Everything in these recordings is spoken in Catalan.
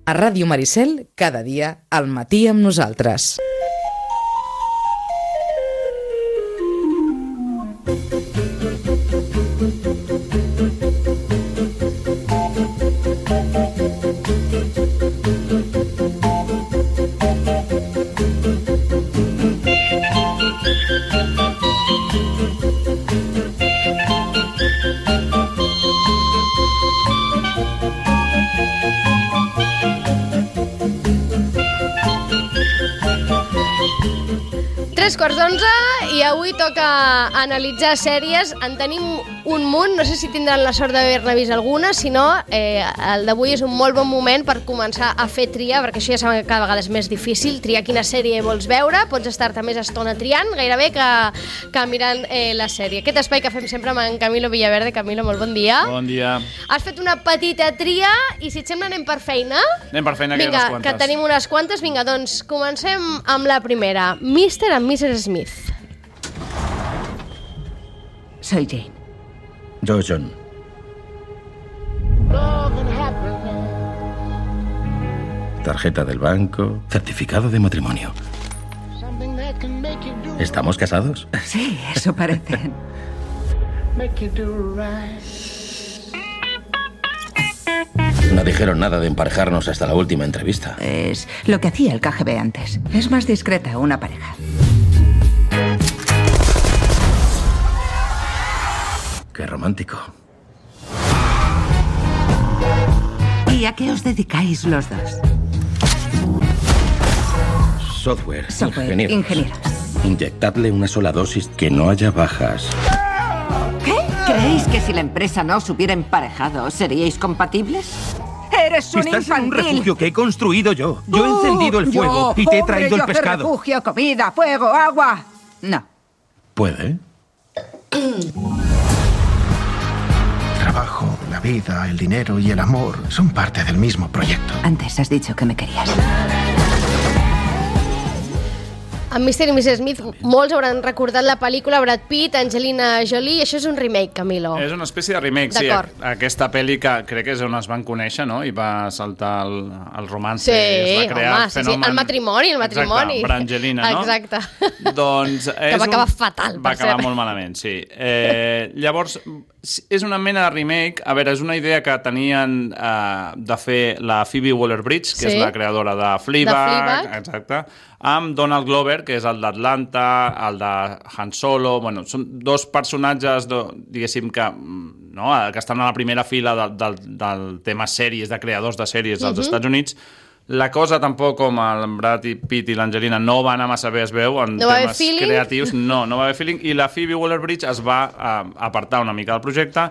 A Ràdio Maricel, cada dia, al matí amb nosaltres. Quarts d'11 i avui toca analitzar sèries. En tenim un munt, no sé si tindran la sort d'haver-ne vist alguna, si no, el d'avui és un molt bon moment per començar a fer tria, perquè això ja saben que cada vegada és més difícil, triar quina sèrie vols veure, pots estar-te més estona triant, gairebé que mirant la sèrie. Aquest espai que fem sempre amb en Camilo Villaverde. Camilo, molt bon dia. Bon dia. Has fet una petita tria i si et sembla anem per feina? Anem per feina, que hi ha unes quantes. Que tenim unes quantes. Vinga, doncs comencem amb la primera. Mr. and Mrs. Smith. Soy Jane. Yo, John. Tarjeta del banco, certificado de matrimonio. ¿Estamos casados? Sí, eso parece. No dijeron nada de emparejarnos hasta la última entrevista. Es lo que hacía el KGB antes. Es más discreta una pareja. Qué romántico. ¿Y a qué os dedicáis los dos? Software ingenieros. Inyectadle una sola dosis, que no haya bajas. ¿Qué? ¿Creéis que si la empresa no os hubiera emparejado, seríais compatibles? ¡Eres un infantil! Estás en un refugio que he construido yo. Yo he encendido el fuego y te he traído el pescado. Refugio, comida, fuego, agua. No. ¿Puede? Trabajo, la vida, el dinero y el amor son parte del mismo proyecto. Antes has dicho que me querías. En Mr. i Mrs. Smith, molts hauran recordat la pel·lícula, Brad Pitt, Angelina Jolie, i això és un remake, Camilo. És una espècie de remake, sí. Aquesta pel·li que crec que és on es van conèixer, no? I va saltar el romance. Sí, es va crear home, fenomen... el matrimoni. Exacte, per Angelina, no? Exacte. Doncs que va acabar fatal, va acabar molt malament, sí. Llavors, és una mena de remake. A veure, és una idea que tenien de fer la Phoebe Waller-Bridge, que és la creadora de Fleabag. Exacte. Amb Donald Glover, que és el d'Atlanta, el de Han Solo. Bueno, són dos personatges, diguéssim, que estan a la primera fila del tema sèries, de creadors de sèries dels Estats Units. La cosa tampoc, com el Brad Pitt i l'Angelina, no va anar massa bé, es veu, en temes creatius. No va haver feeling. I la Phoebe Waller-Bridge es va apartar una mica del projecte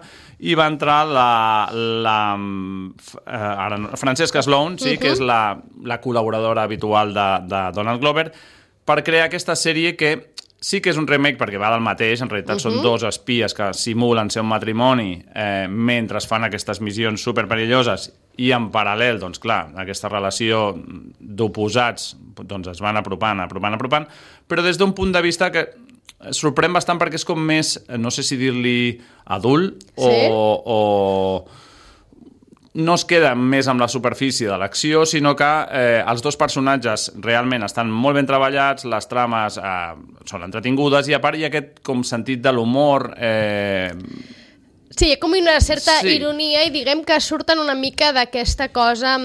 i va entrar Francesca Sloan, que és la col·laboradora habitual de Donald Glover, per crear aquesta sèrie que sí que és un remake perquè va del mateix. En realitat són dos espies que simulen ser un matrimoni mentre fan aquestes missions superperilloses i en paral·lel, doncs clar, aquesta relació d'oposats es van apropant, però des d'un punt de vista que sorprèn bastant perquè és com més, no sé si dir-li adult o no es queda més amb la superfície de l'acció, sinó que els dos personatges realment estan molt ben treballats, les trames són entretingudes i a part hi ha aquest com sentit de l'humor... Sí, hi ha com una certa ironia i diguem que surten una mica d'aquesta cosa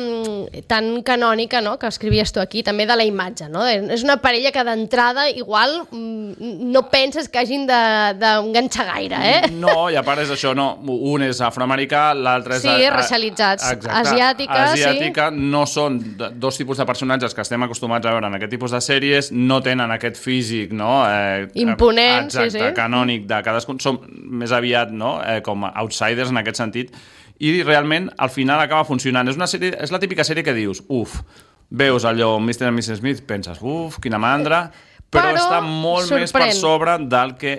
tan canònica, no?, que escrivies tu aquí, també de la imatge, no? És una parella que d'entrada igual no penses que hagin d'enganxar gaire, No, i a part és això, no? Un és afroamericà, l'altre és... Sí, racialitzats. Asiàtica. No són dos tipus de personatges que estem acostumats a veure en aquest tipus de sèries, no tenen aquest físic, no? Imponent, exacte, canònic de cadascun. Són més aviat, no?, com outsiders en aquest sentit, i realment al final acaba funcionant. És la típica sèrie que dius, veus allò Mr. and Mrs. Smith, penses, quina mandra, però està molt més per sobre del que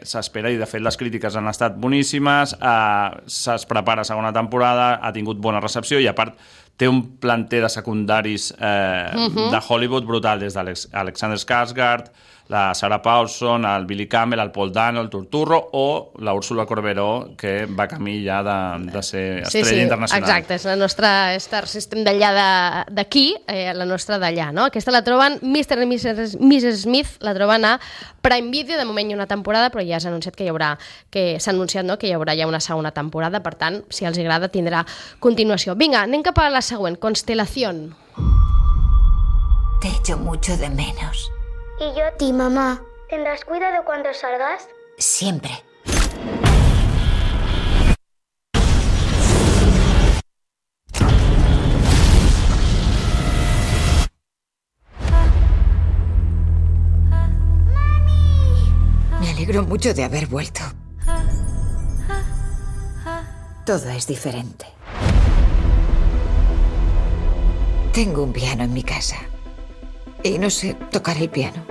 s'espera, i de fet les crítiques han estat boníssimes, es prepara segona temporada, ha tingut bona recepció i a part té un planter de secundaris de Hollywood brutal, des d'Alexander Skarsgård, la Sarah Paulson, el Billy Campbell, el Paul Dano, el Turturro o la Úrsula Corberó, que va camí ja de ser estrella internacional. Exacte, és la nostra Star System d'allà d'aquí, la nostra d'allà, no? Aquesta la troben, Mr. i Mrs. Smith, la troben a Prime Video, de moment hi ha una temporada, però ja s'ha anunciat que s'ha anunciat, no?, que hi haurà ja una segona temporada, per tant, si els agrada, tindrà continuació. Vinga, anem cap a la següent, Constelación. Te echo mucho de menos. Y yo a ti, mamá. ¿Tendrás cuidado cuando salgas? Siempre. Me alegro mucho de haber vuelto. Todo es diferente. Tengo un piano en mi casa y no sé tocar el piano.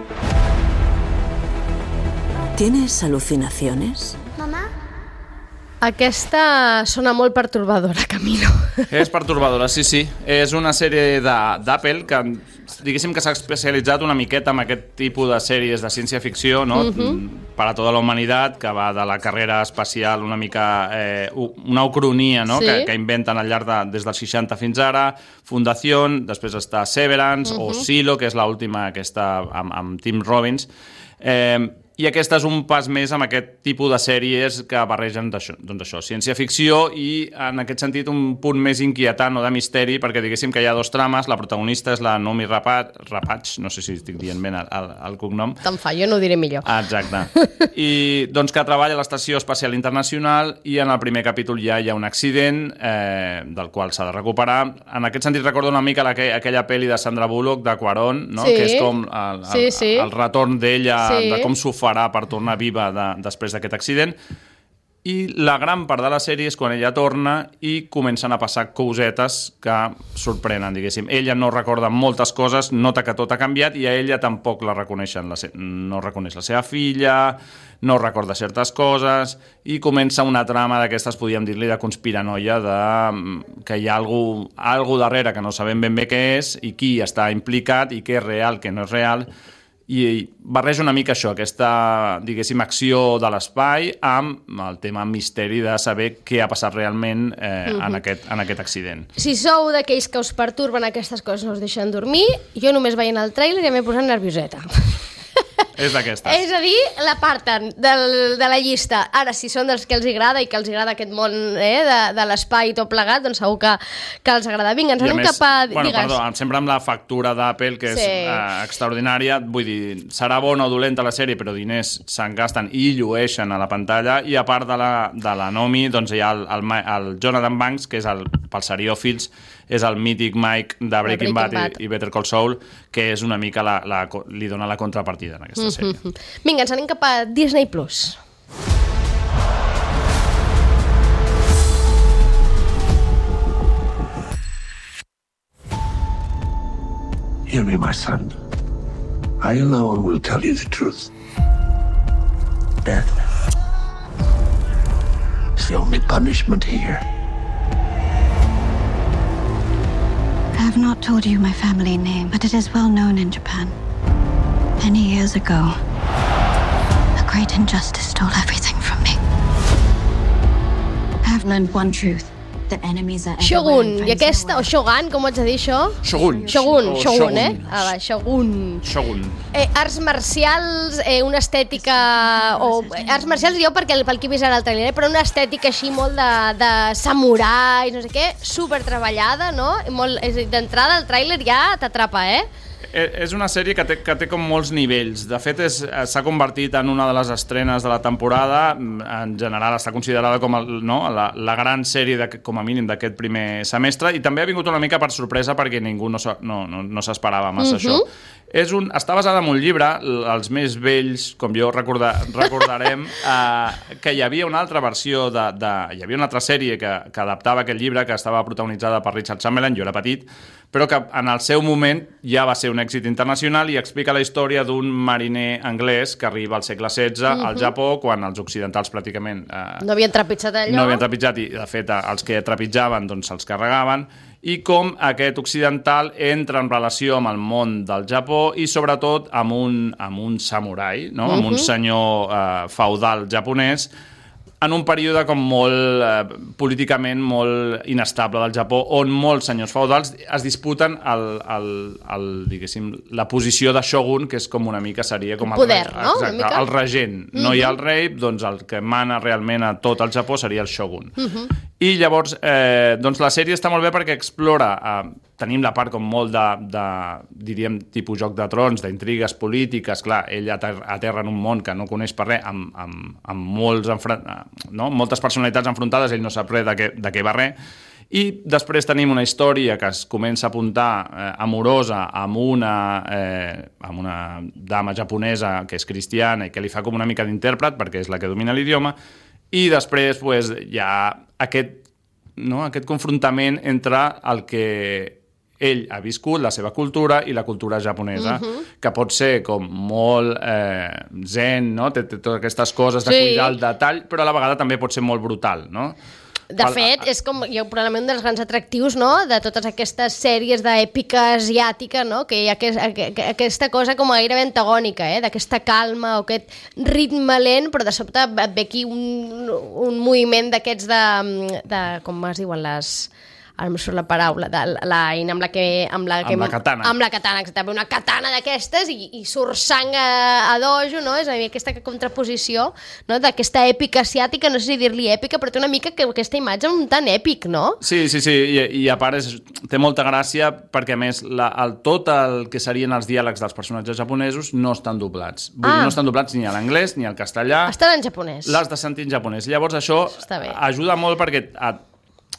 ¿Tienes alucinaciones? Mamá. Aquesta sona molt pertorbadora, Camilo. És pertorbadora, sí. És una sèrie d'Apple que, diguéssim que s'ha especialitzat una miqueta en aquest tipus de sèries de ciència-ficció, no? Per a tota la humanitat, que va de la carrera espacial una mica una ucronia, no? Que inventen al llarg des dels 60 fins ara, Fundación, després està Severance o Silo, que és l'última aquesta amb Tim Robbins. I aquest és un pas més amb aquest tipus de sèries que barregen això, ciència-ficció i, en aquest sentit, un punt més inquietant o de misteri, perquè diguéssim que hi ha dos trames. La protagonista és la Noomi Rapace, no sé si estic dient bé el cognom. Te'n fa, jo no ho diré millor. Exacte. I doncs que treballa a l'Estació Espacial Internacional i en el primer capítol ja hi ha un accident del qual s'ha de recuperar. En aquest sentit recordo una mica aquella pel·li de Sandra Bullock, de Cuarón, no? Que és com el retorn d'ella, de com s'ho farà per tornar viva després d'aquest accident. I la gran part de la sèrie és quan ella torna i comencen a passar cosetes que sorprenen, diguéssim. Ella no recorda moltes coses, nota que tot ha canviat i a ella tampoc la reconeixen. No reconeix la seva filla, no recorda certes coses i comença una trama d'aquestes, podríem dir-li, de conspiranoia, que hi ha algú darrere que no sabem ben bé què és i qui està implicat i què és real, què no és real. I barreja una mica això, aquesta, diguéssim, acció de l'espai amb el tema misteri de saber què ha passat realment en aquest accident. Si sou d'aquells que us perturben aquestes coses, no us deixen dormir, jo només veient el tràiler ja m'he posat nervioseta. És d'aquestes. És a dir, l'aparten de la llista. Ara, si són dels que els agrada i que els agrada aquest món de l'espai i tot plegat, doncs segur que els agrada. Vinga, ens anem cap a... Perdó, sempre amb la factura d'Apple, que és extraordinària. Vull dir, serà bona o dolenta la sèrie, però diners se'n gasten i llueixen a la pantalla. I a part de la Noomi, doncs hi ha el Jonathan Banks, que és pels seriòfils, és el mític Mike de Breaking Bad i Better Call Saul, que és una mica li dona la contrapartida en aquesta sèrie. Vinga, ens anem cap a Disney+. Hear me, my son. I alone will tell you the truth. Death is the only punishment here. I have not told you my family name, but it is well known in Japan. Many years ago, a great injustice stole everything from me. I have learned one truth. Shogun, i aquesta, o Shogun, com ho haig de dir això? Shogun, Shogun. Arts marcials, una estètica... Arts marcials jo pel que he vist ara al trailer, però una estètica així molt de samurai, no sé què, super treballada, no? D'entrada el trailer ja t'atrapa, És una sèrie que té com molts nivells. De fet, s'ha convertit en una de les estrenes de la temporada. En general està considerada com la gran sèrie, com a mínim, d'aquest primer semestre, i també ha vingut una mica per sorpresa perquè ningú no s'esperava massa això. Està basada en un llibre, els més vells, com jo recordarem, que hi havia una altra versió, hi havia una altra sèrie que adaptava aquest llibre, que estava protagonitzada per Richard Chamberlain, jo era petit, però que en el seu moment ja va ser un èxit internacional i explica la història d'un mariner anglès que arriba al segle XVI al Japó, quan els occidentals pràcticament no havien trepitjat allò. No havien trepitjat i, de fet, els que trepitjaven doncs se'ls carregaven, i com aquest occidental entra en relació amb el món del Japó i, sobretot, amb un samurai, no? Amb un senyor feudal japonès, en un període com molt políticament molt inestable del Japó, on molts senyors feudals es disputen diguéssim, la posició de shogun, que és com una mica seria com poder, no? Exacte, el regent. No hi ha el rei, doncs el que mana realment a tot el Japó seria el shogun. I llavors, doncs la sèrie està molt bé perquè explora, tenim la part com molt diríem, tipus Joc de Trons, d'intrigues polítiques, clar, ell aterra en un món que no coneix per res, amb moltes personalitats enfrontades, ell no sap res de què va res, i després tenim una història que es comença a apuntar amorosa amb una dama japonesa que és cristiana i que li fa com una mica d'intèrpret perquè és la que domina l'idioma, i després hi ha aquest confrontament entre el que ell ha viscut, la seva cultura i la cultura japonesa, que pot ser com molt zen, no? Té totes aquestes coses de cuidar el detall, però a la vegada també pot ser molt brutal, no? De fet, és com probablement un dels grans atractius, no?, de totes aquestes sèries d'èpica asiàtica, no?, que hi ha aquesta cosa com gairebé antagònica, d'aquesta calma o aquest ritme lent, però de sobte ve aquí un moviment d'aquests de com es diuen ara em surt la paraula, amb la katana. Amb la katana, exactament. Una katana d'aquestes i surt sang a dojo, no? És a dir, aquesta contraposició, no?, d'aquesta èpica asiàtica, no sé si dir-li èpica, però té una mica aquesta imatge un tant èpic, no? Sí, i a part té molta gràcia perquè, a més, tot el que serien els diàlegs dels personatges japonesos no estan doblats. Vull dir, no estan doblats ni a l'anglès ni al castellà. Estan en japonès. L'has de sentir en japonès. Llavors això ajuda molt perquè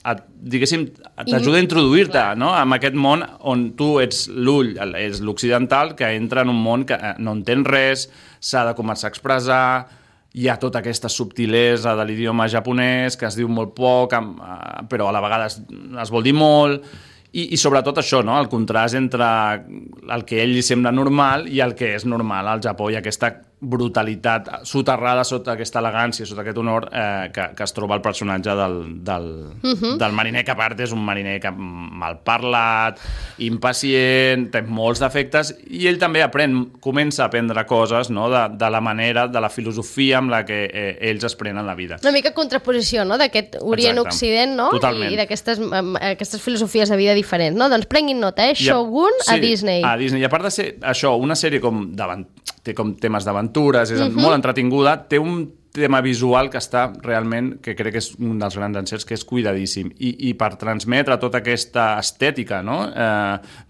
diguéssim, t'ajuda a introduir-te, no?, en aquest món on tu ets l'ull, és l'occidental, que entra en un món que no entén res, s'ha de començar a expressar, hi ha tota aquesta subtilesa de l'idioma japonès, que es diu molt poc, però a la vegada es vol dir molt, i sobretot això, no?, el contrast entre el que a ell li sembla normal i el que és normal al Japó, i aquesta brutalitat soterrada sota aquesta elegància, sota aquest honor que es troba el personatge del mariner, que a part és un mariner mal parlat, impacient, té molts defectes, i ell també comença a aprendre coses, no?, de la manera, de la filosofia amb la que ells es prenen la vida. Una mica contraposició, no?, d'aquest Orient-Occident, no?, i d'aquestes filosofies de vida diferents, no? Doncs prenguin nota, Shogun a Disney. A Disney, i a part de ser això, una sèrie té com temes d'aventures, és molt entretinguda, té un tema visual que està realment, que crec que és un dels grans encerts, que és cuidadíssim, i per transmetre tota aquesta estètica, no?,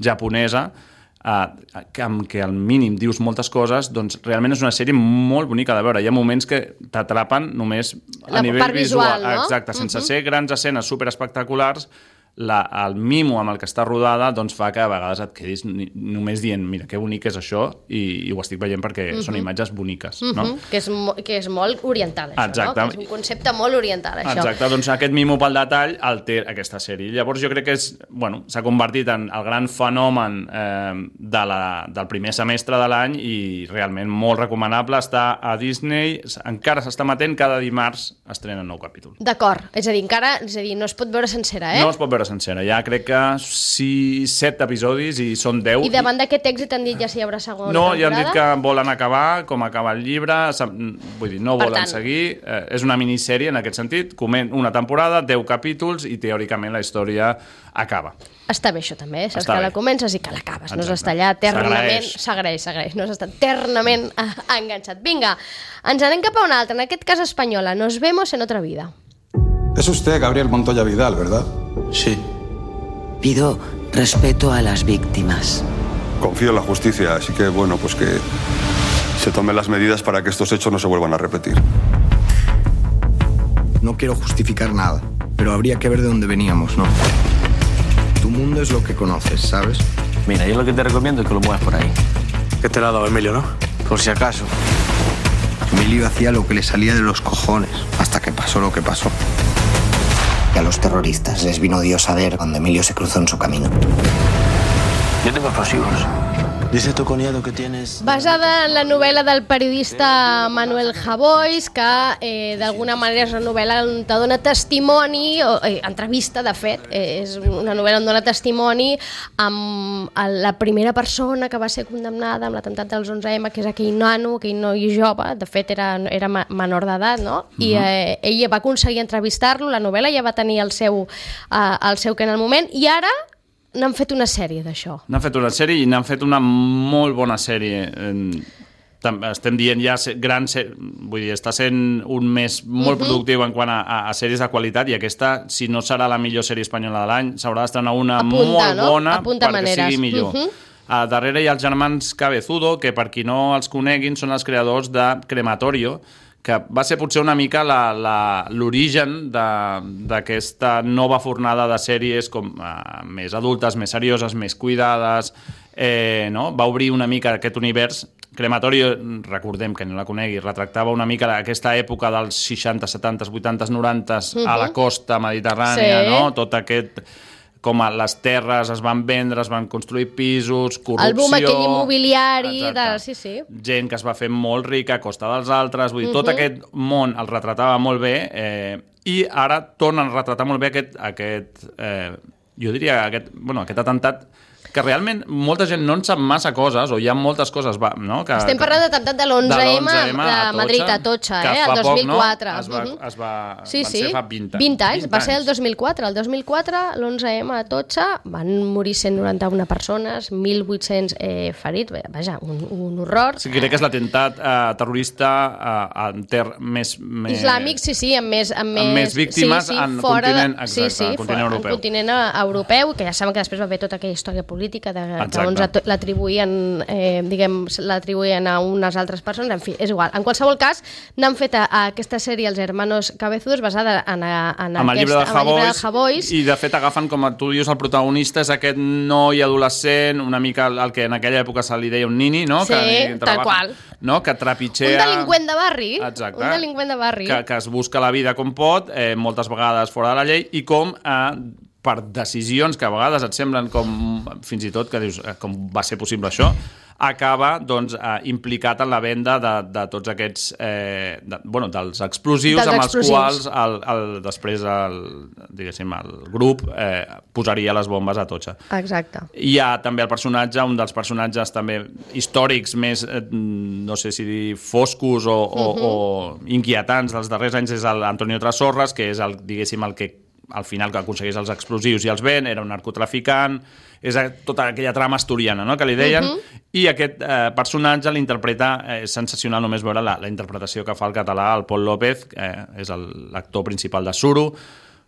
japonesa, amb què al mínim dius moltes coses, doncs realment és una sèrie molt bonica de veure. Hi ha moments que t'atrapen només a nivell visual, no? Exacte, sense ser grans escenes superespectaculars, el mimo amb el que està rodada doncs fa que a vegades et quedis només dient, mira, que bonic és això, i ho estic veient perquè són imatges boniques, no? Que és molt oriental, això. Exacte. No? Que és un concepte molt oriental, això. Exacte, doncs aquest mimo pel detall el té aquesta sèrie. Llavors jo crec que s'ha convertit en el gran fenomen del primer semestre de l'any, i realment molt recomanable. Està a Disney, encara s'està emetent, cada dimarts estrena un nou capítol. D'acord, és a dir, no es pot veure sencera, No es pot veure sencera. Ja crec que 7 episodis i són 10. I davant d'aquest èxit han dit ja si hi haurà segona temporada? No, ja han dit que volen acabar com acaba el llibre, vull dir, no volen seguir. És una minissèrie en aquest sentit, una temporada, 10 capítols, i teòricament la història acaba. Està bé això també, saps que la comences i que l'acabes, no s'està allà eternament, s'agraeix, no s'està eternament enganxat. Vinga, ens anem cap a una altra, en aquest cas espanyola, Nos vemos en otra vida. Es usted Gabriel Montoya Vidal, ¿verdad? Sí. Pido respeto a las víctimas. Confío en la justicia, así que bueno, pues que se tomen las medidas para que estos hechos no se vuelvan a repetir. No quiero justificar nada, pero habría que ver de dónde veníamos, ¿no? Tu mundo es lo que conoces, ¿sabes? Mira, yo lo que te recomiendo es que lo muevas por ahí. ¿Qué te lo ha dado Emilio, no? Por si acaso. Emilio hacía lo que le salía de los cojones, hasta que pasó lo que pasó. A los terroristas les vino Dios a ver cuando Emilio se cruzó en su camino. Yo tengo explosivos. Dice tu cuñado que tienes... Basada en la novel·la del periodista Manuel Javois, que d'alguna manera és una novel·la on te dona testimoni, entrevista, de fet, és una novel·la on dona testimoni amb la primera persona que va ser condemnada amb l'atemptat dels 11M, que és aquell nano, aquell noi jove, de fet era menor d'edat, no? I ella va aconseguir entrevistar-lo, la novel·la ja va tenir el seu que en el moment, i ara n'han fet una sèrie d'això. N'han fet una sèrie i n'han fet una molt bona sèrie. Estem dient ja gran sèrie, vull dir, està sent un mes molt productiu en quant a sèries de qualitat, i aquesta, si no serà la millor sèrie espanyola de l'any, s'haurà d'estrenar una molt bona perquè sigui millor. Darrere hi ha els germans Cabezudo, que per qui no els coneguin són els creadors de Crematorio, que va ser potser una mica l'origen d'aquesta nova fornada de sèries com més adultes, més serioses, més cuidades, no? Va obrir una mica aquest univers. Crematorio, recordem que no la conegui, retractava una mica aquesta època dels 60, 70, 80, 90 a la costa mediterrània, no? Tot aquest... com les terres es van vendre, es van construir pisos, corrupció... El boom aquell immobiliari... Sí. Gent que es va fer molt rica a costa dels altres, vull dir, tot aquest món el retratava molt bé, i ara tornen a retratar molt bé aquest jo diria, aquest atemptat, que realment molta gent no en sap massa coses, o hi ha moltes coses, no? Estem parlant de l'atemptat de l'11M de Madrid, a Atocha, el 2004. Van ser fa 20 anys. 20 anys, va ser el 2004. El 2004, l'11M a Atocha, van morir 191 persones, 1.800 ferits, vaja, un horror. Sí, crec que és l'atemptat terrorista més... Islàmic, sí, amb més víctimes en continent europeu. En continent europeu, que ja saben que després va haver tota aquella història política que l'atribuïen a unes altres persones, en fi, és igual. En qualsevol cas, n'han fet aquesta sèrie Els Hermanos Cabezudos basada en el llibre de Javois, i de fet agafen, com tu dius, el protagonista és aquest noi adolescent, una mica el que en aquella època se li deia un nini, no? Sí, tal qual. No? Que trepitgea... Un delinqüent de barri. Exacte. Un delinqüent de barri. Que es busca la vida com pot, moltes vegades fora de la llei, i com per decisions que a vegades et semblen com, fins i tot, que dius, com va ser possible això, acaba implicat en la venda de tots aquests dels explosius amb els quals després el grup posaria les bombes a Atocha. Exacte. Hi ha també el personatge, un dels personatges també històrics més, no sé si dir foscos o inquietants dels darrers anys, és l'Antonio Trasorras, que és el que al final que aconseguís els explosius i els ven, era un narcotraficant, és tota aquella trama asturiana, no?, que li deien, i aquest personatge l'interpreta, és sensacional només veure la interpretació que fa el català, el Pol López, és l'actor principal de Suro,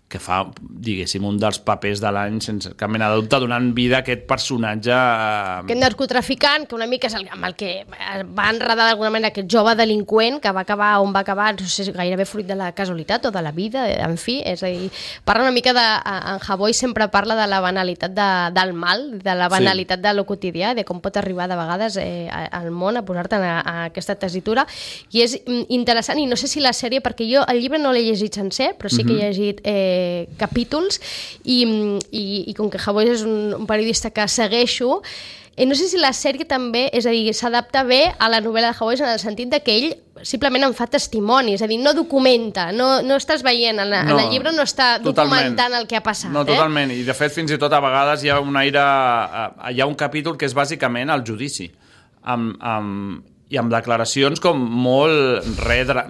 que fa, diguéssim, un dels papers de l'any sense cap mena de dubte, donant vida a aquest personatge... Aquest narcotraficant, que una mica és amb el que va enredar d'alguna manera aquest jove delinqüent, que va acabar on va acabar, no sé si gairebé fruit de la casualitat o de la vida, en fi, és a dir, parla una mica en Javois sempre parla de la banalitat del mal, de la banalitat de lo quotidià, de com pot arribar de vegades al món a posar-te a aquesta tessitura, i és interessant, i no sé si la sèrie, perquè jo el llibre no l'he llegit sencer, però sí que he llegit capítols, i com que Javois és un periodista que segueixo, no sé si la sèrie també, és a dir, s'adapta bé a la novel·la de Javois en el sentit que ell simplement en fa testimoni, és a dir, no documenta, no estàs veient, en el llibre no està documentant el que ha passat. No, totalment, i de fet fins i tot a vegades hi ha un aire, hi ha un capítol que és bàsicament el judici, i amb declaracions com molt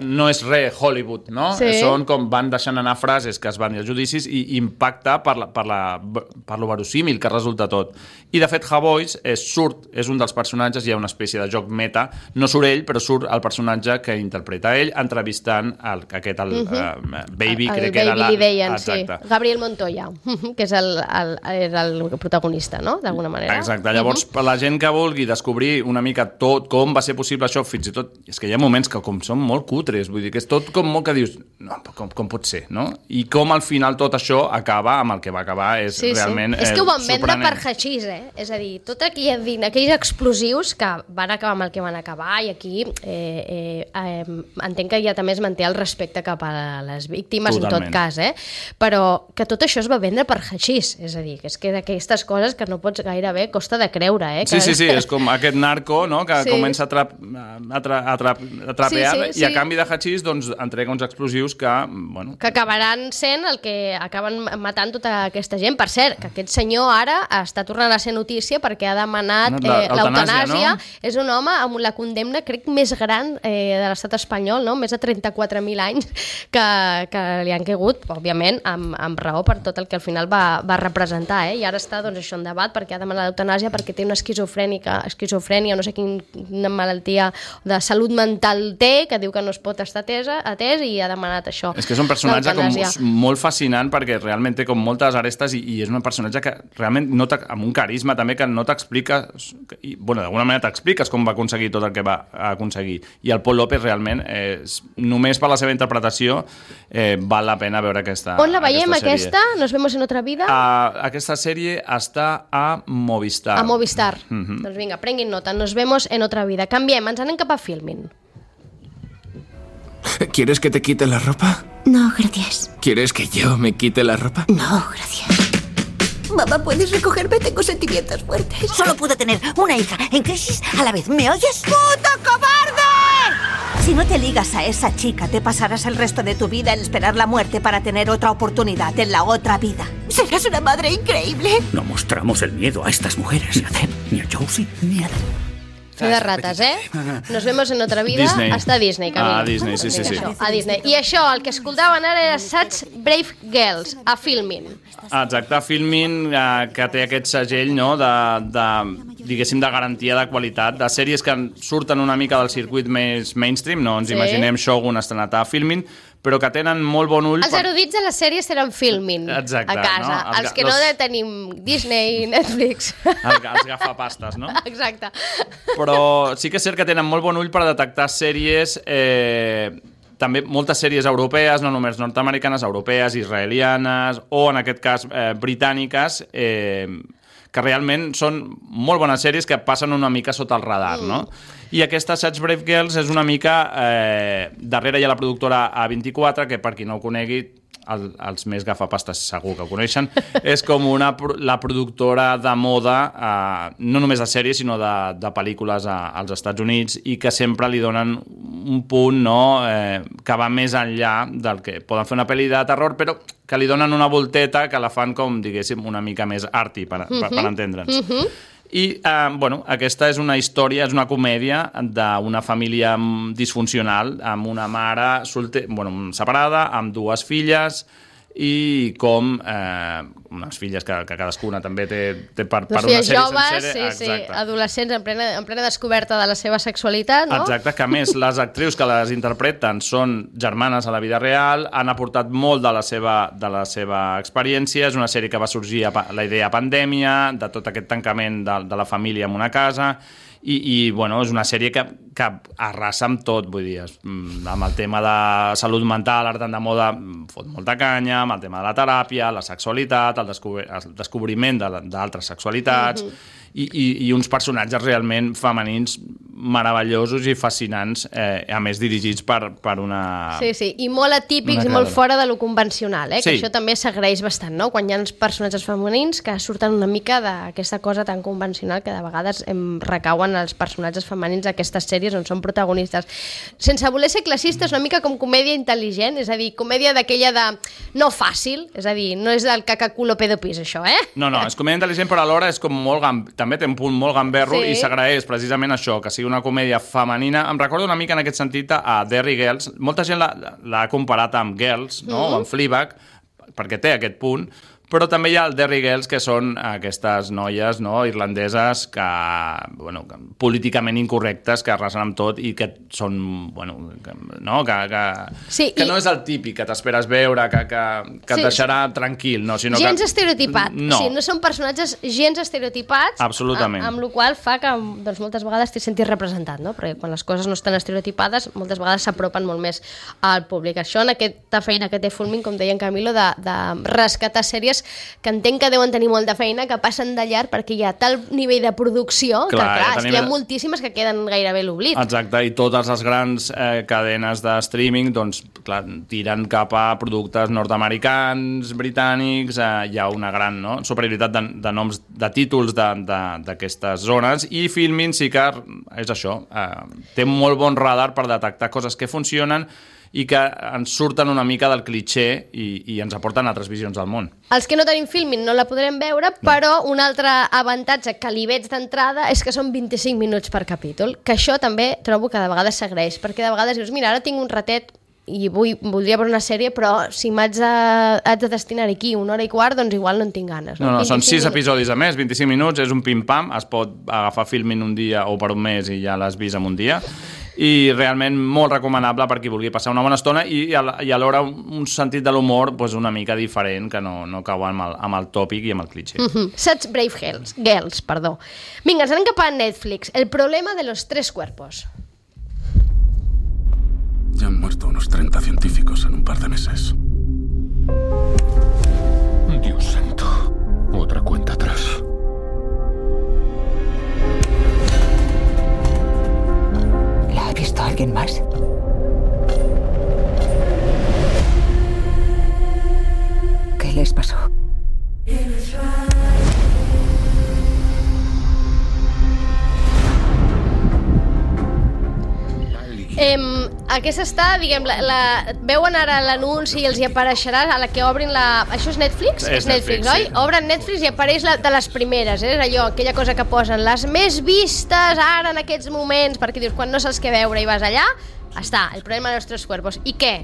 no és Hollywood, no? Sí. Són com van deixant anar frases que es van dir als judicis i impacta per lo verosímil que resulta tot. I de fet Javois és un dels personatges, hi ha una espècie de joc meta, no surt ell, però surt el personatge que interpreta ell, entrevistant aquest Baby, crec que era Baby li deien, sí. Gabriel Montoya, que és el protagonista, no? D'alguna manera. Exacte, llavors per la gent que vulgui descobrir una mica tot com va ser possible possible això, fins i tot, és que hi ha moments que com són molt cutres, vull dir, que és tot com molt que dius, no, com pot ser, no? I com al final tot això acaba amb el que va acabar, és realment és que ho van vendre sorprenent. per hachís, és a dir, tot aquells explosius que van acabar amb el que van acabar, i aquí entenc que ja també es manté el respecte cap a les víctimes, totalment. en tot cas, però que tot això es va vendre per hachís, és a dir, que és que d'aquestes coses que no pots gairebé costa de creure, Sí, és com aquest narco, no?, que comença a trapear i a canvi de hachís doncs entrega uns explosius que, bueno... que acabaran sent el que acaben matant tota aquesta gent. Per cert, que aquest senyor ara està tornant a ser notícia perquè ha demanat l'eutanàsia. No? És un home amb la condemna, crec, més gran de l'estat espanyol, no? Més de 34.000 anys que li han caigut, òbviament, amb raó per tot el que al final va representar, I ara està, doncs, això en debat perquè ha demanat l'eutanàsia perquè té una esquizofrènia, no sé quina malaltia de salut mental té, que diu que no es pot estar atès i ha demanat això. És que és un personatge molt fascinant perquè realment té com moltes arestes i és un personatge que realment amb un carisma també que no t'expliques, bueno, d'alguna manera t'expliques com va aconseguir tot el que va aconseguir. I el Paul López realment, només per la seva interpretació, val la pena veure aquesta sèrie. On la veiem, aquesta? ¿Nos vemos en otra vida? Aquesta sèrie està a Movistar. A Movistar. Doncs vinga, prenguin nota. Nos vemos en otra vida. Canviem, ens anem cap a Filmin. ¿Quieres que te quite la ropa? No, gracias. ¿Quieres que yo me quite la ropa? No, gracias. Mamá, ¿puedes recogerme? Tengo sentimientos fuertes. Solo puedo tener una hija en crisis a la vez. ¿Me oyes? ¡Puto cobarde! Si no te ligas a esa chica, te pasarás el resto de tu vida en esperar la muerte para tener otra oportunidad en la otra vida. Serás una madre increíble. No mostramos el miedo a estas mujeres, ni a Deb, ni a Josie, ni a Adam. Fe de rates, Nos vemos en otra vida. Disney. Està a Disney, Camil. A Disney, sí. A Disney. I això, el que escoltaven ara era Such Brave Girls, a Filmin. Exacte, Filmin, que té aquest segell, no?, diguéssim, de garantia de qualitat, de sèries que surten una mica del circuit més mainstream, no ens imaginem Shogun estrenat a Filmin, però que tenen molt bon ull... Els erudits de les sèries tenen Filmin a casa. No? Els que no tenim Disney, Netflix... Els gafapastes, no? Exacte. Però sí que és cert que tenen molt bon ull per detectar sèries... també moltes sèries europees, no només nord-americanes, europees, israelianes, o en aquest cas britàniques, que realment són molt bones sèries que passen una mica sota el radar, no? I aquesta Such Brave Girls és una mica... darrere hi ha la productora A24, que per qui no ho conegui, els més gafapastes segur que ho coneixen, és com la productora de moda, no només de sèries, sinó de pel·lícules als Estats Units, i que sempre li donen un punt, no?, que va més enllà del que poden fer una pel·li de terror, però que li donen una volteta que la fan com, diguéssim, una mica més arty, per entendre'ns. I, bueno, aquesta és una història, és una comèdia d'una família disfuncional, amb una mare separada, amb dues filles, i com unes filles que cadascuna també té per una sèrie joves, sencera. Sí, adolescents en plena descoberta de la seva sexualitat, no? Exacte, que a més les actrius que les interpreten són germanes a la vida real, han aportat molt de la seva experiència. És una sèrie que va sorgir a la idea pandèmia, de tot aquest tancament de la família en una casa, i bueno, és una sèrie que arrasa amb tot, vull dir, amb el tema de salut mental, art de moda, fot molta canya, amb el tema de la teràpia, la sexualitat, el descobriment d'altres sexualitats, i uns personatges realment femenins meravellosos i fascinants, a més dirigits per una... Sí, i molt atípics i molt fora de lo convencional, que això també s'agraeix bastant, no? Quan hi ha personatges femenins que surten una mica d'aquesta cosa tan convencional que de vegades recauen els personatges femenins d'aquestes sèries on són protagonistes. Sense voler ser classistes, una mica com comèdia intel·ligent, és a dir, comèdia d'aquella de no fàcil, és a dir, no és del cacaculo pedopis, això, No, és comèdia intel·ligent, però alhora és com molt... també té un punt molt gamberro, i s'agraeix precisament això, que sigui una comèdia femenina. Em recordo una mica en aquest sentit a Derry Girls. Molta gent l'ha comparat amb Girls, no? O amb Fleabag, perquè té aquest punt, Però també hi ha el Derry Girls, que són aquestes noies irlandeses que, políticament incorrectes, que arrasen amb tot i que són, que no és el típic que t'esperes veure, que et deixarà tranquil, sinó que... Gens estereotipat. No són personatges gens estereotipats. Absolutament. Amb la qual fa que moltes vegades t'hi sentis representat, no? Perquè quan les coses no estan estereotipades, moltes vegades s'apropen molt més al públic. Això, en aquesta feina que té Fulmin, com deia en Camilo, de rescatar sèries que entenc que deuen tenir molta feina, que passen de llarg perquè hi ha tal nivell de producció que, hi ha moltíssimes que queden gairebé l'oblit. Exacte, i totes les grans cadenes de streaming, doncs, clar, tiren cap a productes nord-americans, britànics, hi ha una gran superioritat de noms, de títols d'aquestes zones, i Filmin sí que és això, té molt bon radar per detectar coses que funcionen i que ens surten una mica del cliché i ens aporten altres visions del món. Els que no tenim Filmin no la podrem veure, però un altre avantatge que li veig d'entrada és que són 25 minuts per capítol, que això també trobo que de vegades s'agraeix, perquè de vegades dius, mira, ara tinc un ratet i voldria veure una sèrie, però si m'haig de destinar aquí 1 hora i quart, doncs igual no en tinc ganes. No, són 6 episodis a més, 25 minuts, és un pim-pam, es pot agafar Filmin un dia o per un mes i ja l'has vist en un dia, i realment molt recomanable per qui vulgui passar una bona estona i alhora un sentit de l'humor una mica diferent, que no cau amb el tòpic i amb el cliché. Such Brave Girls, perdó. Vinga, ens anem cap a Netflix. El problema de los 3 cuerpos. Ya han muerto unos 30 científicos en un par de meses. Dios santo. Otra cuenta atrás. ¿La ha visto alguien más? ¿Qué les pasó? Aquesta està, diguem, veuen ara l'anunci i els hi apareixerà a la que obrin la... Això és Netflix? És Netflix, oi? Sí. Obren Netflix i apareix de les primeres, és allò, aquella cosa que posen les més vistes ara en aquests moments, perquè dius, quan no saps què veure i vas allà, està, el problema de los 3 cuerpos. I què?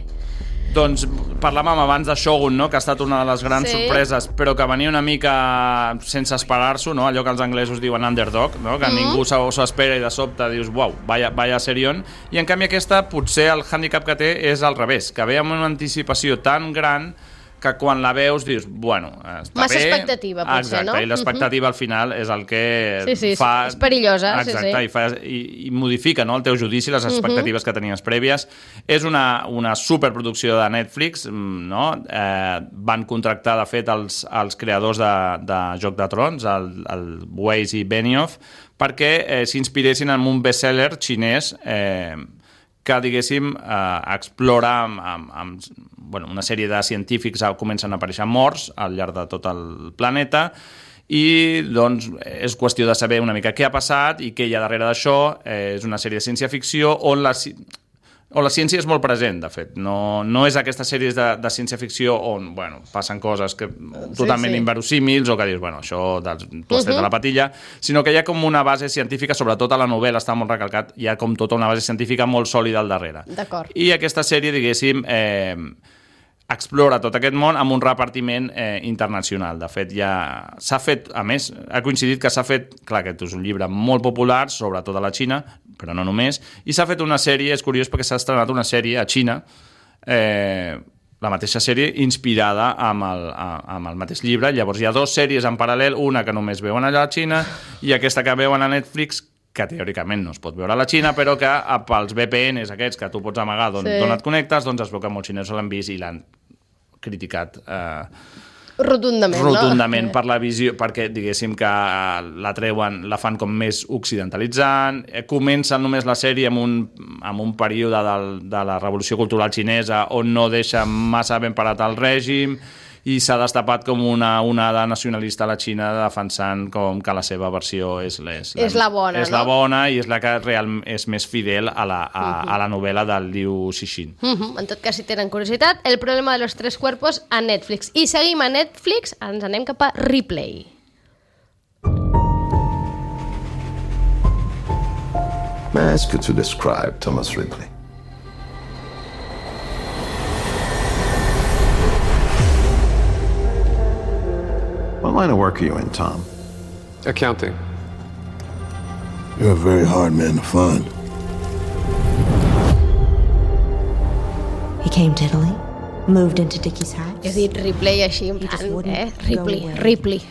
Doncs parlàvem abans de Shogun, que ha estat una de les grans sorpreses, però que venia una mica sense esperar-s'ho, allò que els anglesos diuen underdog, que ningú s'ho espera i de sobte dius, uau, vaya serión, i en canvi aquesta potser el hàndicap que té és al revés, que ve amb una anticipació tan gran que quan la veus dius, bueno, està massa bé. expectativa, potser, no? Exacte, i l'expectativa al final és el que fa... és perillosa, exacte, i modifica el teu judici, les expectatives que tenies prèvies. És una superproducció de Netflix, no? Van contractar, de fet, els creadors de Joc de Trons, el Weiss i Benioff, perquè s'inspiressin en un bestseller xinès que, diguéssim, explora amb una sèrie de científics comencen a aparèixer morts al llarg de tot el planeta i doncs és qüestió de saber una mica què ha passat i què hi ha darrere d'això. És una sèrie de ciència-ficció on la ciència és molt present, de fet. No és aquestes sèries de ciència-ficció on passen coses totalment inverosímils o que dius, això t'ho has tret a la patilla, sinó que hi ha com una base científica, sobretot a la novel·la està molt recalcat, hi ha com tota una base científica molt sòlida al darrere. D'acord. I aquesta sèrie, diguéssim, explora tot aquest món amb un repartiment internacional. De fet, ja s'ha fet, a més, ha coincidit que s'ha fet, clar, aquest és un llibre molt popular, sobretot a la Xina, però no només, i s'ha fet una sèrie, és curiós perquè s'ha estrenat una sèrie a Xina, la mateixa sèrie inspirada amb el mateix llibre. Llavors hi ha 2 sèries en paral·lel, una que només veuen allà a la Xina i aquesta que veuen a Netflix, que teòricament no es pot veure a la Xina, però que pels VPNs aquests que tu pots amagar d'on et connectes, doncs es veu que molts xinesos l'han vist i l'han criticat rotundament per la visió, perquè diguéssim que la treuen, la fan com més occidentalitzant, comencen només la sèrie amb un període de la revolució cultural xinesa on no deixa massa ben parat el règim i s'ha destapat com una onada nacionalista a la Xina defensant com que la seva versió és la bona, és la bona i és la que realment és més fidel a la novel·la del Liu Cixin. En tot cas, si tenen curiositat, El problema de los 3 cuerpos a Netflix. I seguim a Netflix, ens anem cap a Ripley. May I ask you to describe Thomas Ripley? line of work are you in, Tom? Accounting. You're a very hard man to find. He came to Italy, moved into Dickie's house. He has dit Ripley així, en plan, Ripley.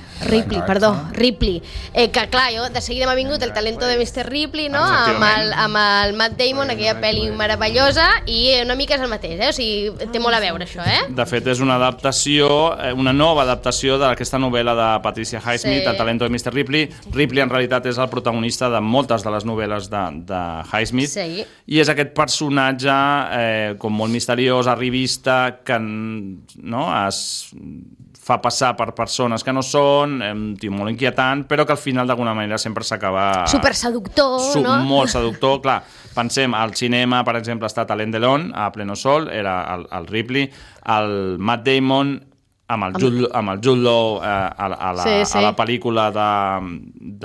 Que clar, jo de seguida m'ha vingut el talento de Mr. Ripley, no? Amb el Matt Damon, aquella pel·li meravellosa, i una mica és el mateix, o sigui, té molt a veure això, De fet, és una adaptació, una nova adaptació d'aquesta novel·la de Patricia Highsmith, El talento de Mr. Ripley. Ripley, en realitat, és el protagonista de moltes de les novel·les de Highsmith, i és aquest personatge com molt misteriós, arribista, que es fa passar per persones que no són, un tio molt inquietant, però que al final d'alguna manera sempre s'acaba... Superseductor, no? Molt seductor, clar. Pensem, al cinema, per exemple, ha estat Alain Delon, a Pleno Sol, era el Ripley, el Matt Damon, amb el Jude Law a la pel·lícula de...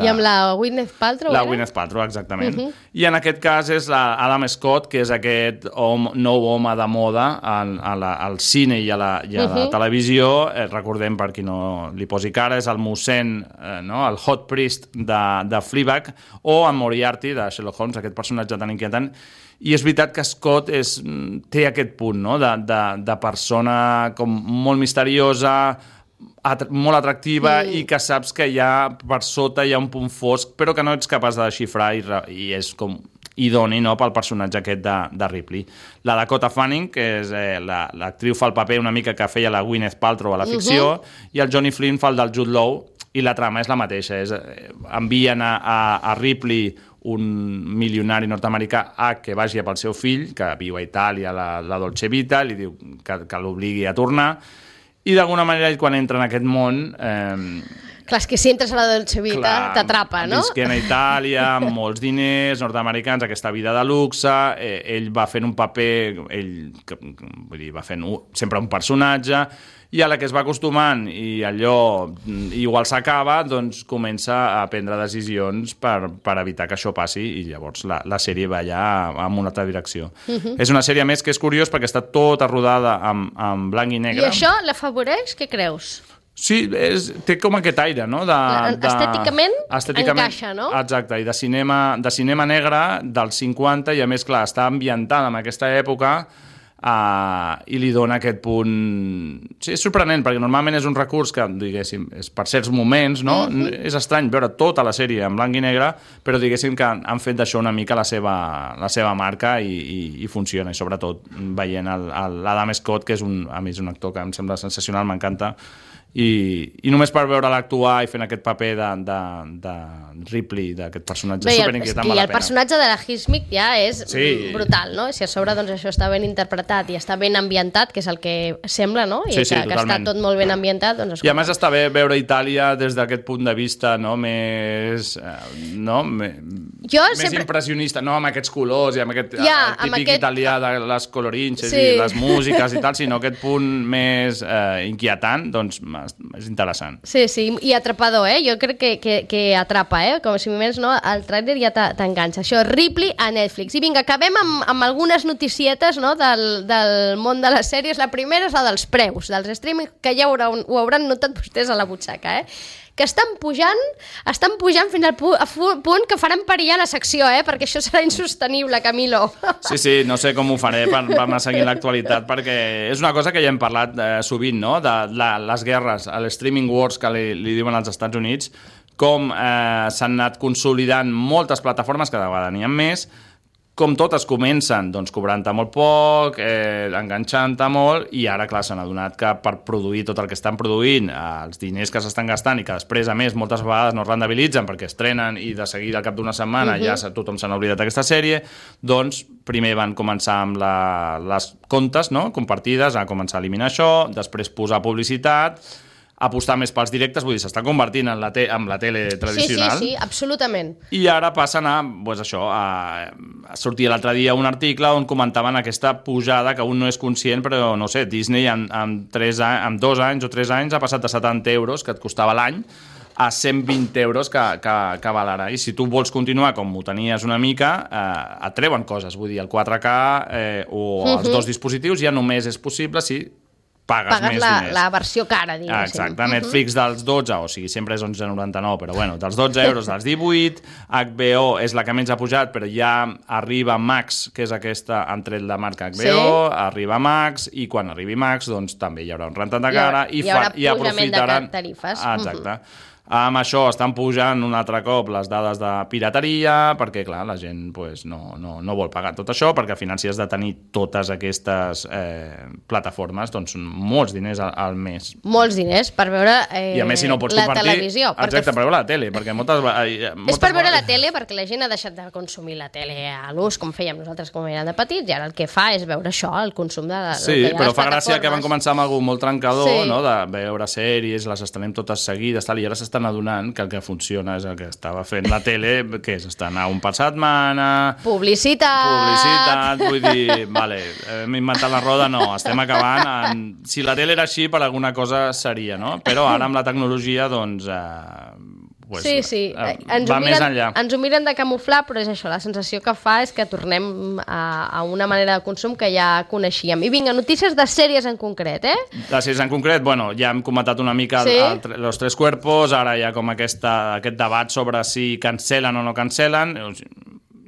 I amb la Gwyneth Paltrow, Gwyneth Paltrow, exactament. I en aquest cas és Adam Scott, que és aquest nou home de moda al cine i a la televisió. Recordem, per qui no li posi cara, és el mossèn, el hot priest de Fleabag, o en Moriarty, de Sherlock Holmes, aquest personatge tan inquietant. I és veritat que Scott té aquest punt de persona com molt misteriosa, molt atractiva, i que saps que per sota hi ha un punt fosc, però que no ets capaç de desxifrar, i és com idoni pel personatge aquest de Ripley. La Dakota Fanning, que és l'actriu, fa el paper una mica que feia la Gwyneth Paltrow a la ficció, i el Johnny Flynn fa el del Jude Law, i la trama és la mateixa. Envien a Ripley, un milionari nord-americà, que vagi pel seu fill, que viu a Itàlia, la Dolce Vita, li diu que l'obligui a tornar, i d'alguna manera ell, quan entra en aquest món... Clar, és que si entres a la Dolce Vita t'atrapa, no? Visquent a Itàlia, amb molts diners, nord-americans, aquesta vida de luxe, ell va fent un paper, va fent sempre un personatge, i a la que es va acostumant i allò igual s'acaba, doncs comença a prendre decisions per evitar que això passi, i llavors la sèrie va ja en una altra direcció. És una sèrie més que és curiós perquè està tota rodada en blanc i negre. I això l'afavoreix? Què creus? Sí, té com aquest aire, no? Estèticament encaixa, no? Exacte, i de cinema negre dels 50, i a més, clar, està ambientada en aquesta època, i li dona aquest punt... Sí, és sorprenent, perquè normalment és un recurs que, diguéssim, és per certs moments, no? És estrany veure tota la sèrie en blanc i negre, però diguéssim que han fet d'això una mica la seva marca, i funciona, i sobretot veient l'Adam Scott, que és a més un actor que em sembla sensacional, m'encanta, i només per veure l'actuar i fent aquest paper de Ripley, d'aquest personatge superinquietant, val la pena. I el personatge de la Highsmith ja és brutal, no? Si a sobre doncs, això està ben interpretat i està ben ambientat, que és el que sembla, no? I que està tot molt ben ambientat, doncs... I a més està bé veure Itàlia des d'aquest punt de vista, no? Més impressionista, no amb aquests colors i amb aquest típic italià de les colorinxes i les músiques i tal, sinó aquest punt més inquietant, doncs és interessant. Sí, i atrapador, Jo crec que atrapa, Com si més no, el tràiler ja t'enganxa. Això, Ripley a Netflix. I vinga, acabem amb algunes noticietes, no, del món de les sèries. La primera és la dels preus, dels streaming, que ja ho hauran notat vostès a la butxaca, que estan pujant fins al punt que faran perillar la secció, perquè això serà insostenible, Camilo. Sí, no sé com ho faré per anar seguint l'actualitat, perquè és una cosa que ja hem parlat sovint, no?, de les guerres, el streaming wars que li diuen als Estats Units, com s'han anat consolidant moltes plataformes, cada vegada n'hi ha més, com totes comencen cobrant-te molt poc, enganxant-te molt, i ara, clar, s'han adonat que per produir tot el que estan produint, els diners que s'estan gastant i que després, a més, moltes vegades no es rendibilitzen perquè estrenen i de seguida al cap d'una setmana ja tothom s'ha oblidat d'aquesta sèrie, doncs primer van començar amb les comptes compartides, a començar a eliminar això, després posar publicitat, apostar més pels directes, vull dir, s'està convertint en la tele tradicional. Sí, absolutament. I ara passen a sortir l'altre dia un article on comentaven aquesta pujada que un no és conscient, però no sé, Disney en 2 anys o 3 anys ha passat de 70 euros que et costava l'any a 120 euros que val ara. I si tu vols continuar com ho tenies una mica, et treuen coses, vull dir, el 4K o els 2 dispositius ja només és possible si pagues més diners. La versió cara, diguéssim. Exacte, Netflix dels 12, o sigui, sempre és 11,99, però bueno, dels 12 euros dels 18, HBO és la que menys ha pujat, però ja arriba Max, que és aquesta, han tret la marca HBO, arriba Max, i quan arribi Max, doncs també hi haurà un rentat de cara i aprofitaran... de tarifes. Exacte. Amb això estan pujant un altre cop les dades de pirateria, perquè, clar, la gent no vol pagar tot això, perquè al final si has de tenir totes aquestes plataformes, doncs són molts diners al mes. Molts diners per veure I a més, si no pots compartir, televisió. Exacte, per veure la tele, perquè és per veure la tele, perquè la gent ha deixat de consumir la tele a l'ús, com fèiem nosaltres quan érem de petits, i ara el que fa és veure això, el consum de les plataformes. Sí, però fa gràcia que van començar amb algú molt trencador, no?, de veure sèries, les estrenem totes seguides, i ara s'estan adonant que el que funciona és el que estava fent la tele, que és estrenar un per setmana... Publicitat, vull dir, vale, hem inventat la roda, no, estem acabant. Si la tele era així, per alguna cosa seria, no? Però ara amb la tecnologia, doncs... Sí. Va més enllà. Ens ho miren de camuflar, però és això, la sensació que fa és que tornem a una manera de consum que ja coneixíem. I vinga, notícies de sèries en concret, De sèries en concret, bueno, ja hem comentat una mica Los Tres Cuerpos, ara hi ha com aquest debat sobre si cancelen o no cancelen.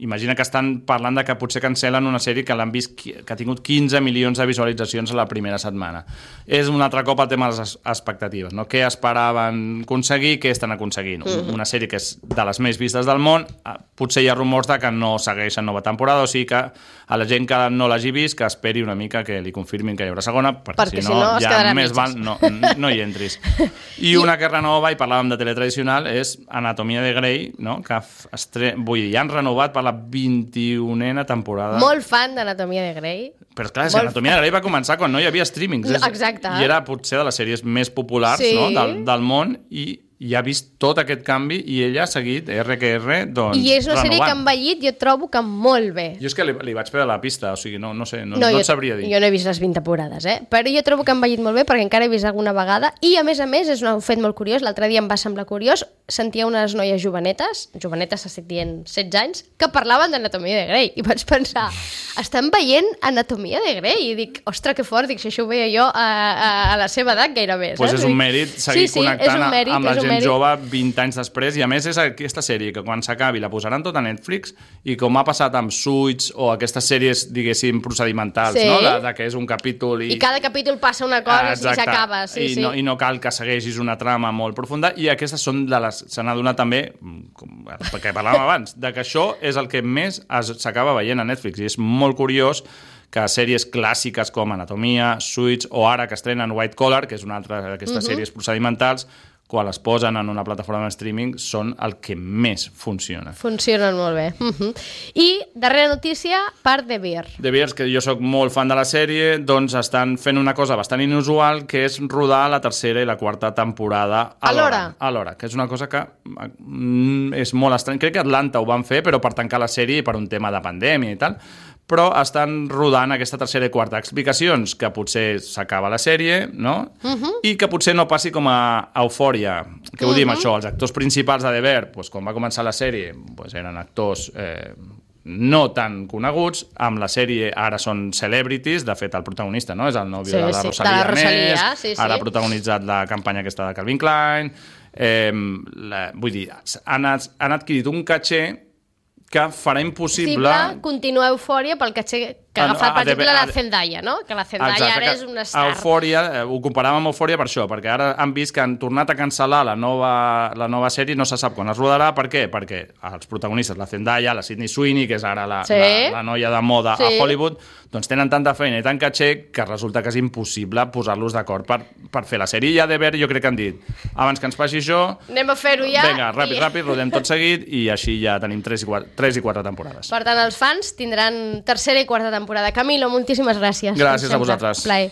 Imagina que estan parlant de que potser cancel·len una sèrie que l'han vist, que ha tingut 15 milions de visualitzacions a la primera setmana. És un altre cop el tema de les expectatives, no? Què esperaven aconseguir, què estan aconseguint. Una sèrie que és de les més vistes del món, potser hi ha rumors de que no segueixen nova temporada, o sigui que a la gent que no l'hagi vist, que esperi una mica que li confirmin que hi haurà segona, perquè si no ja més val no hi entris. I una que renova, i parlàvem de teletradicional, és Anatomia de Grey, no? Que vull dir, ja han renovat per la 21a temporada. Molt fan d'Anatomia de Grey. Però clar, Anatomia de Grey va començar quan no hi havia streamings. Exacte. I era potser de les sèries més populars del món, i ha vist tot aquest canvi, i ella ha seguit RQR, doncs, i és una sèrie que ha envellit, jo trobo que molt bé. Jo és que li vaig perdre la pista, o sigui, no sé, no et sabria dir. Jo no he vist les 20 temporades, però jo trobo que ha envellit molt bé, perquè encara he vist alguna vegada, i a més, és un fet molt curiós, l'altre dia em va semblar curiós, sentia unes noies jovenetes estic dient 16 anys, que parlaven d'Anatomia de Grey, i vaig pensar, estan veient Anatomia de Grey, i dic, ostres, que fort, si això ho veia jo a la seva edat gairebé. Doncs és un mèrit seguir connectant amb la gent jove 20 anys després, i a més és aquesta sèrie que quan s'acabi la posaran tot a Netflix, i com ha passat amb Suits o aquestes sèries, diguéssim, procedimentals, no? De que és un capítol i cada capítol passa una cosa i s'acaba. I no cal que segueixis una trama molt profunda, i aquestes són de les... Se n'ha donat també, perquè parlàvem abans, de que això és el que més s'acaba veient a Netflix, i és molt curiós que sèries clàssiques com Anatomia, Suits, o ara que estrenen White Collar, que és una altra d'aquestes sèries procedimentals, quan les posen en una plataforma de streaming, són el que més funciona. Funcionen molt bé. I darrera notícia per The Bear. The Bear, que jo sóc molt fan de la sèrie, doncs estan fent una cosa bastant inusual, que és rodar la tercera i la quarta temporada alhora, que és una cosa que és molt estrany. Crec que Atlanta ho van fer, però per tancar la sèrie i per un tema de pandèmia i tal, però estan rodant aquesta tercera i quarta. Explicacions que potser s'acaba la sèrie, no? I que potser no passi com a Eufòria. Què vull dir amb això? Els actors principals de The Bear, quan va començar la sèrie, eren actors no tan coneguts, amb la sèrie ara són celebrities, de fet el protagonista és el nòvio de la Rosalía Més, ara ha protagonitzat la campanya aquesta de Calvin Klein, vull dir, han adquirit un caché que farà impossible continuar Eufòria pel caché que ha agafat, per exemple, la Zendaya, no? Que la Zendaya ara és una star. Eufòria, ho comparàvem amb Eufòria per això, perquè ara han vist que han tornat a cancel·lar la nova sèrie, no se sap quan es rodarà. Per què? Perquè els protagonistes, la Zendaya, la Sydney Sweeney, que és ara la noia de moda a Hollywood, doncs tenen tanta feina i tant caché que resulta que és impossible posar-los d'acord per fer la sèrie. I a The Bear jo crec que han dit, abans que ens passi això, anem a fer-ho ja. Vinga, ràpid, rodem tot seguit, i així ja tenim 3 i 4 temporades. Per tant, els fans tindran tercera i quarta temporada. Camilo, moltíssimes gràcies. Gràcies a vosaltres. Plaer.